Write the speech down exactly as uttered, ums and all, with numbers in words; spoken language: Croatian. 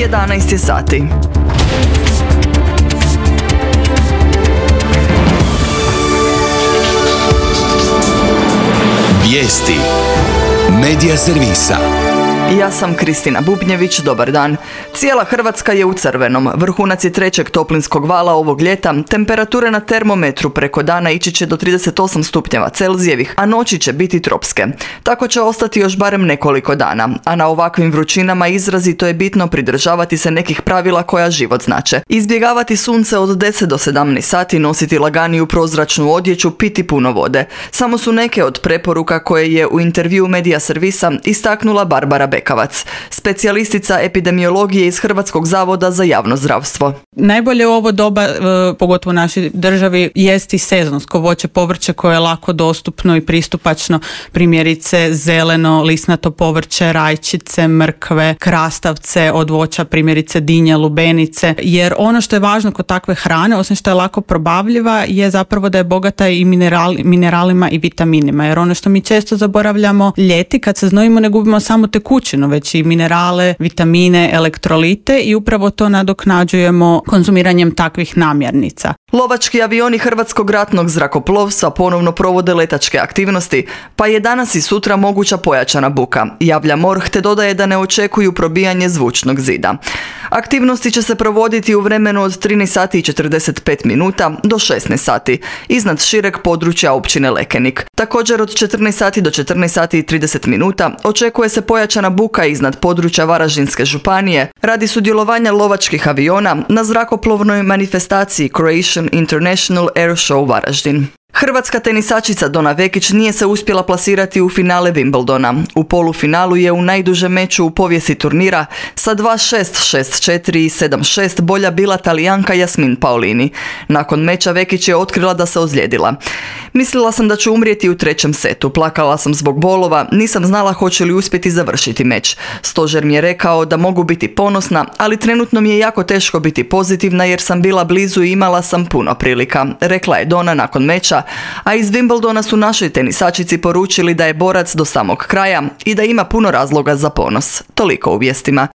jedanaest je sati. Vijesti Medija servisa. Ja sam Kristina Bubnjević, dobar dan. Cijela Hrvatska je u crvenom. Vrhunac je trećeg toplinskog vala ovog ljeta. Temperature na termometru preko dana ići će do trideset osam stupnjeva Celzijevih, a noći će biti tropske. Tako će ostati još barem nekoliko dana. A na ovakvim vrućinama izrazito je bitno pridržavati se nekih pravila koja život znače. Izbjegavati sunce od deset do sedamnaest sati, nositi laganiju prozračnu odjeću, piti puno vode. Samo su neke od preporuka koje je u intervjuu Medija servisa istaknula Barbara Bekavac, specijalistica epidemiologije iz Hrvatskog zavoda za javno zdravstvo. Najbolje u ovo doba, pogotovo u našoj državi, jest i sezonsko voće, povrće koje je lako dostupno i pristupačno, primjerice zeleno, lisnato povrće, rajčice, mrkve, krastavce od voća, primjerice dinje, lubenice, jer ono što je važno kod takve hrane, osim što je lako probavljiva, je zapravo da je bogata i mineral, mineralima i vitaminima, jer ono što mi često zaboravljamo ljeti, kad se znojimo, ne gubimo samo tekućinu, već i minerale, vitamine, elektrolite i upravo to nadoknađujemo konzumiranjem takvih namirnica. Lovački avioni Hrvatskog ratnog zrakoplovstva ponovno provode letačke aktivnosti, pa je danas i sutra moguća pojačana buka, javlja MORH, te dodaje da ne očekuju probijanje zvučnog zida. Aktivnosti će se provoditi u vremenu od trinaest sati i četrdeset pet minuta do šesnaest sati, iznad šireg područja općine Lekenik. Također od četrnaest sati do četrnaest sati i trideset minuta očekuje se pojačana buka iznad područja Varaždinske županije radi sudjelovanja lovačkih aviona na zrakoplovnoj manifestaciji Croatian International Air Show Varaždin. Hrvatska tenisačica Dona Vekić nije se uspjela plasirati u finale Wimbledona. U polufinalu je u najdužem meču u povijesti turnira sa dva šest, šest četiri i sedam šest bolja bila Talijanka Jasmin Paolini. Nakon meča Vekić je otkrila da se ozlijedila. Mislila sam da ću umrijeti u trećem setu, plakala sam zbog bolova, nisam znala hoće li uspjeti završiti meč. Stožer mi je rekao da mogu biti ponosna, ali trenutno mi je jako teško biti pozitivna jer sam bila blizu i imala sam puno prilika, rekla je Dona nakon meča, a iz Wimbledona su našoj tenisačici poručili da je borac do samog kraja i da ima puno razloga za ponos. Toliko u vijestima.